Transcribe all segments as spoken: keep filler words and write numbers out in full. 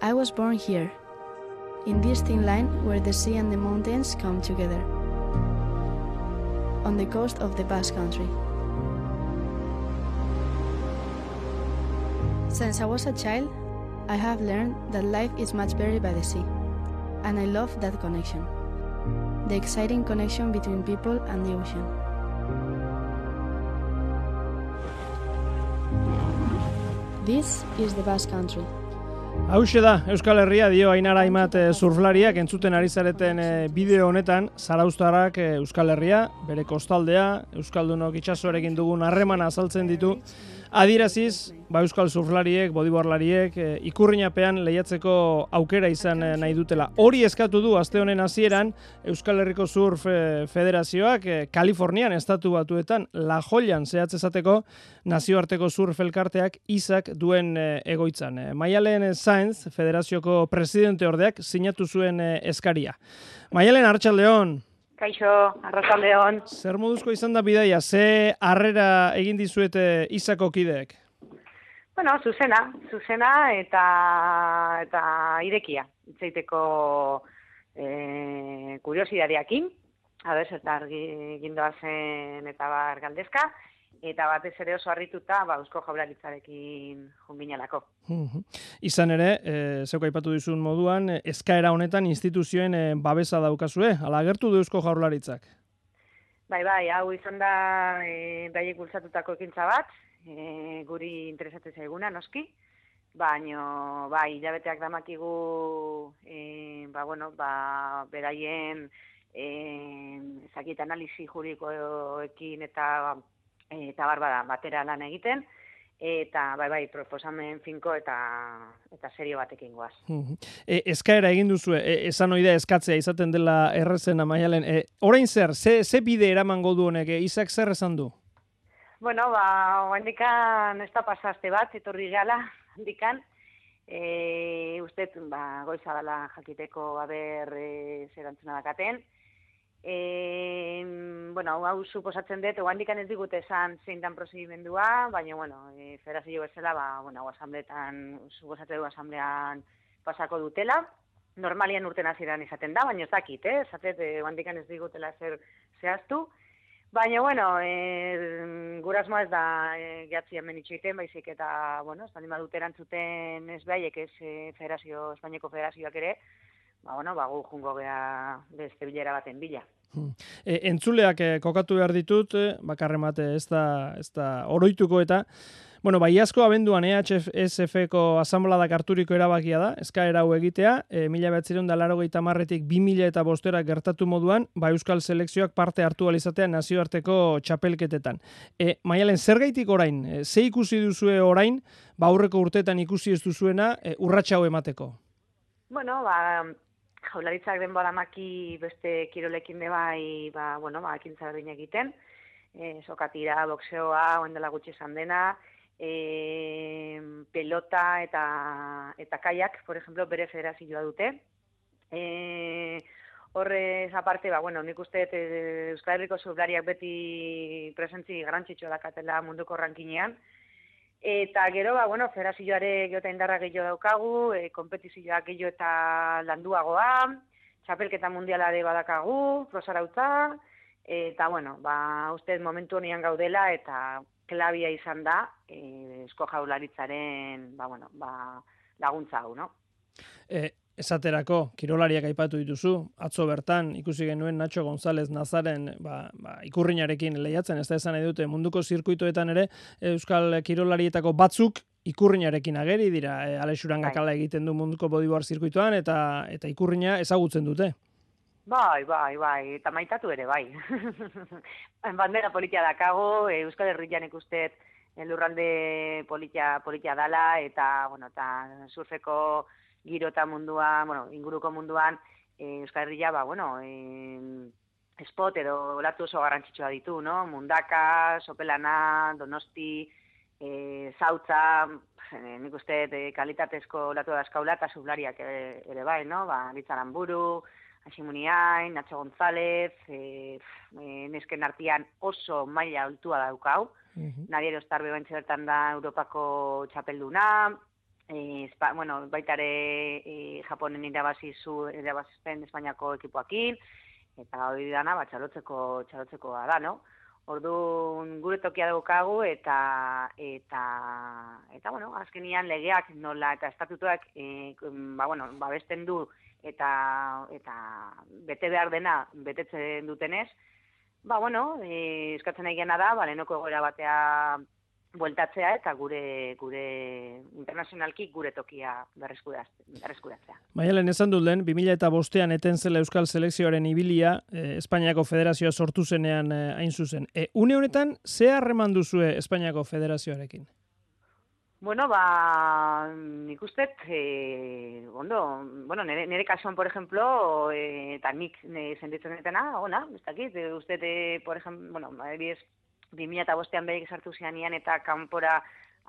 I was born here, in this thin line where the sea and the mountains come together, on the coast of the Basque Country. Since I was a child, I have learned that life is much better by the sea, and I love that connection, the exciting connection between people and the ocean. This is the Basque Country. Hauxe da, Euskal Herria dio Ainara Aimat surflariak entzuten ari zareten bideo honetan, zarauztarrak Euskal Herria, bere kostaldea, Euskaldunok itsasoarekin dugun harremana azaltzen ditu, adieraziz, ba Euskal surflariek, bodyboardlariek, ikurrinapean lehiatzeko aukera izan nahi dutela. Hori eskatu du aste honen hasieran Euskal Herriko Surf Federazioak Kalifornian estatu batuetan La Jollan zehatz esateko nazioarteko surf elkarteak izak duen egoitzan. Maialen Sainz, Federazioko presidente ordeak, sinatu zuen eskaria. Maialen, arratsaldeon. Kaixo, arratsaldeon. Zer moduzko izan da bidaia? Ze harrera egin dizuete izako kideek? Bueno, zuzena, zuzena eta eta irekia. Itzaiteko eh kuriosidadeekin, a ber zertar gindoa zen eta bar galdezka. Eta batez ere oso harrituta, ba, Eusko Jaurlaritzarekin junginalako. Izan ere, e, zeuk aipatu dizun moduan, eskaera honetan instituzioen e, babesa daukazue, ala agertu du Eusko Jaurlaritzak? Bai, bai, hau izan da e, baiek bultzatutako ekintza bat, e, guri interesatzen zaiguna, noski, baino, bai, hilabeteak damakigu, e, ba, bueno, ba, beraien, e, zakit analisi juridikoekin eta eta barbada batera lan egiten, eta bai bai proposamen finko eta eta serio batekin goaz. E, eskaera egin duzu, e, esan oida eskatzea izaten dela errezena, Maialen. E, orain zer, ze, ze bide eramango du honek, e, Izak zer esan du? Bueno, ba, handikan ez da pasazte bat, etorri gala, handikan, e, uste, ba, goiza dela jakiteko aber e, zer antzuna dakaten. E, bueno, hau suposatzen dut, oandikan ez digute esan zein dan prozedimendua, baina, bueno, e, federazio bezala, ba, bueno, asambleetan, suposatzen du asamblean pasako dutela. Normalian urten hasieran izaten da, baina ez dakit, eh? Zatet, e, oandikan ez digutela zer zehaztu. Baina, bueno, e, gurasmoa ez da e, gehatzi hemen itxoiten, baizik eta, bueno, ez baldin badut erantzuten ez behaiek ez e, federazio, Espainiako federazioak ere, ba, bueno, ba, gu jungo geha beste bilera baten bila. E, entzuleak e, kokatu behar ditut, e, bakarremate ez da, ez da oroituko eta, bueno, baiazko abenduan E H S F-ko asanbladak harturiko erabakia da, eskaera hau egitea, e, mila bederatziehun eta laurogeita hamarretik bi mila eta bostera gertatu moduan, ba Euskal selekzioak parte hartu alizatea nazioarteko txapelketetan. E, Maialen, zergaitik orain, e, ze ikusi duzue orain, ba aurreko urteetan ikusi ez duzuena, e, urratsa hau emateko? Bueno, ba, Jaurlaritzak denbora maki beste kirolekin de bai, ba, bueno, ba, ekintza berdin egiten, e, sokatira, boxeoa, oen dela gutxi esan dena, e, pelota eta, eta kaiak, por ejemplo, bere federazioa dute. E, horrez aparte, ba, bueno, nik uste e, Euskal Herriko surflariak beti presentzi garrantzitsua dakatela munduko rankinean, eta gero, ba, bueno, federazioare geota indarra gehiago daukagu, e, kompetizioak gehiago eta landuagoa, txapelketa mundialare badakagu, prosarautza, eta, bueno, ba, uste momentu honean gaudela, eta klabia izan da, e, Eusko Jaurlaritzaren, ba, bueno, ba, laguntza hau, no? E, esaterako, kirolariak aipatu dituzu, atzo bertan ikusi genuen Nacho González Nazaren ba, ba, ikurrinarekin lehiatzen, ez da esan nahi dute munduko zirkuitoetan ere, Euskal kirolarietako batzuk ikurrinarekin ageri dira, e, Alexuran Gakala egiten du munduko bodyboard zirkuitoan, eta eta ikurrina ezagutzen dute. Bai, bai, bai, eta maitatu ere, bai. Bandera politia dakago, Euskal Herrian ikustet lurralde politia, politia dala, eta, bueno, eta surfeko giro eta munduan, bueno, inguruko munduan, e, Euskal Herria, ba, bueno, e, spot edo olatu oso garrantzitsua ditu, no? Mundaka, Sopelana, Donosti, e, Zautza, e, nik uste e, kalitatezko olatu dazkaula eta sublariak ere, ere bai, no? Ba, Litzaramburu, Asimuniain, Nacho González, e, e, nesken artean oso maila altua daukau, uh-huh. Nadiero Starbe bentsi bertan da Europako txapelduna, e, espa, bueno, baita ere e, Japonen irabazi zu irabazten Espainiako ekipoakin, eta hori dana ba txalotzeko txalotzekoa da, no? Orduan gure tokia daukagu eta eta eta bueno, azkenian legeak nola eta estatutuak e, ba bueno, babesten du eta eta bete behar dena betetzen dutenez, ba bueno, e, eskatzen nahiena da, ba lehenoko egoera batea bueltatzea eta gure gure internazionalki gure tokia berreskuratzea. Maialen, esan dut lehen, bi mila bostean eten zela Euskal Selekzioaren ibilia, eh, Espainiako Federazioa sortu zenean eh, hain zuzen. E, une honetan, ze harreman duzue Espainiako Federazioarekin? Bueno, ba, nik uste, eh, ondo, bueno, nire, nire kasuan, por ejemplo, eh, eta nik sentitzen detena, ona, ez dakit, uste, eh, por ejemplo, bueno, adibidez, bi mila bostean behik sartu zianian eta kanpora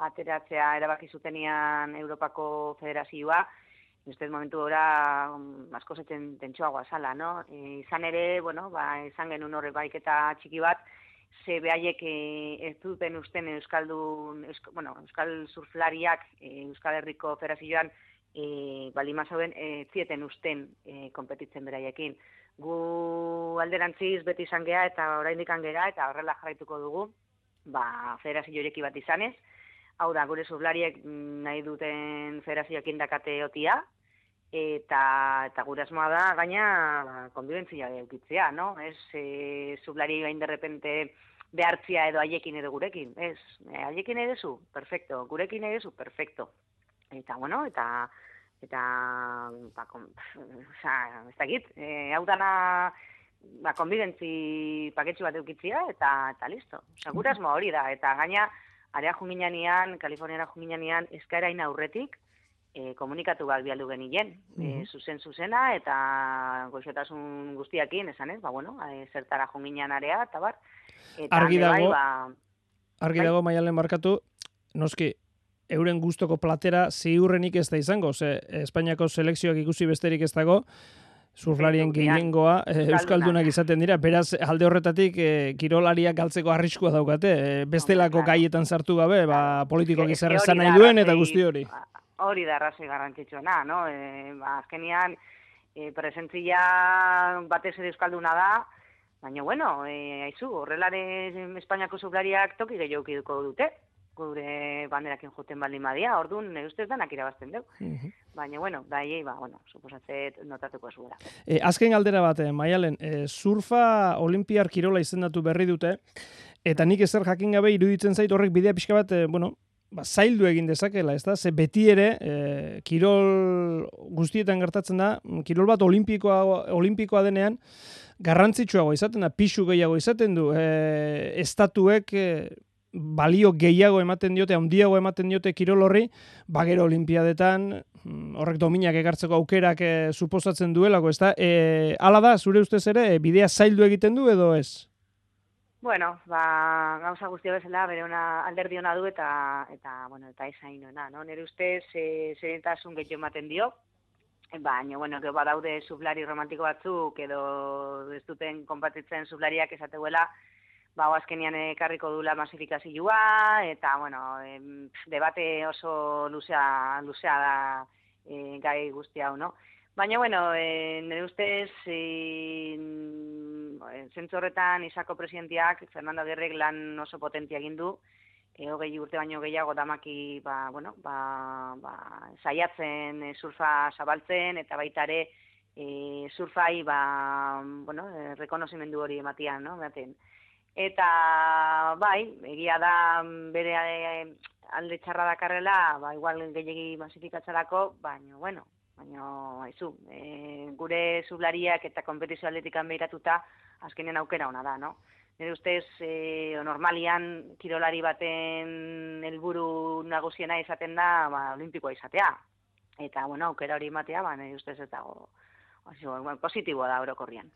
ateratzea erabaki zutenian Europako Federazioa, uste momentu gora asko zetzen tentsoagoa zala, no? E, izan ere, bueno, ba, izan genuen horre baiketa txiki bat, ze behaiek e, ez duten usten Euskaldun, eusk, bueno, Euskal surflariak e, Euskal Herriko Federazioan e, balima zauden e, zieten usten e, konpetitzen beraiekin. Gu alderantziz beti izan gea eta oraindik gera eta horrela jarraituko dugu, ba, federazio ireki bat izanez. Hau da, gure surflariek nahi duten federazioekin dakate otia, eta, eta gure asmoa da, gaina, ba, konbibentzia eukitzea, no? Ez, e, surflari gain derrepente behartzia edo haiekin edo gurekin, ez, e, haiekin edezu, perfecto, gurekin edezu, perfecto. Eta, bueno, eta... eta, ba, kon, oza, ez dakit, e, hau dana, ba, konbidentzi paketxu bat eukitzia, eta, eta listo. Oza, gure asmo hori da, eta gaina, area junginean, Kaliforniara junginean, eskaerain aurretik, e, komunikatu bat bialdu genien, e, zuzen zuzena, eta goxotasun guztiakin, esan ez, ba, bueno, e, zertara junginean area, eta bar. Eta argi dago, bai, ba, argi dago, Maialen barkatu, noski, euren gustoko platera ziurrenik ez da izango, ze Espainiako selekzioak ikusi besterik ez dago, surflarien gehiengoa e, euskaldunak izaten dira, beraz alde horretatik e, kirolariak galtzeko arriskua daukate, e, bestelako gaietan sartu gabe, ba, politikoak izan ezan nahi duen eta guzti hori. Hori da arrazoi garrantzitsuena, no? E, ba, azkenian, e, presentzia batez ere euskalduna da, baina, bueno, e, haizu, horrelare Espainiako surflariak toki gehiago duko dute, gure banderakin joten baldin badia, orduan, nire ustez danak irabazten dugu. Uh-huh. Baina, bueno, daiei, ba, bueno, suposatzet notatuko zuela. E, azken galdera bat, eh, Maialen, e, surfa olimpiar kirola izendatu berri dute, eta nik ezer jakin gabe iruditzen zait horrek bidea pixka bat, e, bueno, ba, zaildu egin dezakela, ez da? Ze beti ere, e, kirol guztietan gertatzen da, kirol bat olimpikoa, olimpikoa denean, garrantzitsuago izaten da, pixu gehiago izaten du, e, estatuek, e, balio gehiago ematen diote, handiago ematen diote kirol horri, bagero olimpiadetan, horrek dominak ekartzeko aukerak e, suposatzen duelako, ez da? E, ala da, zure ustez ere, e, bidea zaildu egiten du edo ez? Bueno, ba, gauza guztia bezala, bere ona alderdi ona du eta, eta, bueno, eta ezainoena, no? Nire ustez, e, zerentasun gehiago ematen dio, baina, bueno, gero badaude surflari romantiko batzuk, edo ez duten konpatitzen surflariak esateguela, ba, azkenian ekarriko dula masifikazioa, eta, bueno, em, debate oso luzea, luzea da e, gai guzti hau, no? Baina, bueno, e, nire ustez, e, zentzu horretan Isako presidenteak, Fernando Aguirrek lan oso potentia egin du, e, hogei urte baino gehiago damaki, ba, bueno, ba, ba, saiatzen e, surfa zabaltzen, eta baita ere e, surfai, ba, bueno, e, rekonozimendu hori ematian, no? Ematen. Eta, bai, egia da bere alde txarra dakarrela, ba, igual gehiagi masifikatzarako, baina, bueno, baina, haizu, e, gure surflariak eta kompetizio atletikan behiratuta, azkenen aukera ona da, no? Nire ustez, e, normalian, kirolari baten helburu nagusiena izaten da, ba, olimpikoa izatea. Eta, bueno, aukera hori ematea, ba, nire ustez ez dago, positiboa da orokorrian.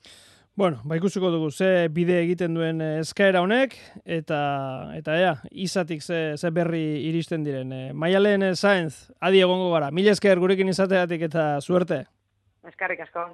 Bueno, ba ikusiko dugu ze bide egiten duen eskaera honek, eta eta ea, izatik ze, ze berri iristen diren. E, Maialen Saenz, adi egongo gara. Mila esker gurekin izateatik eta suerte. Eskerrik asko.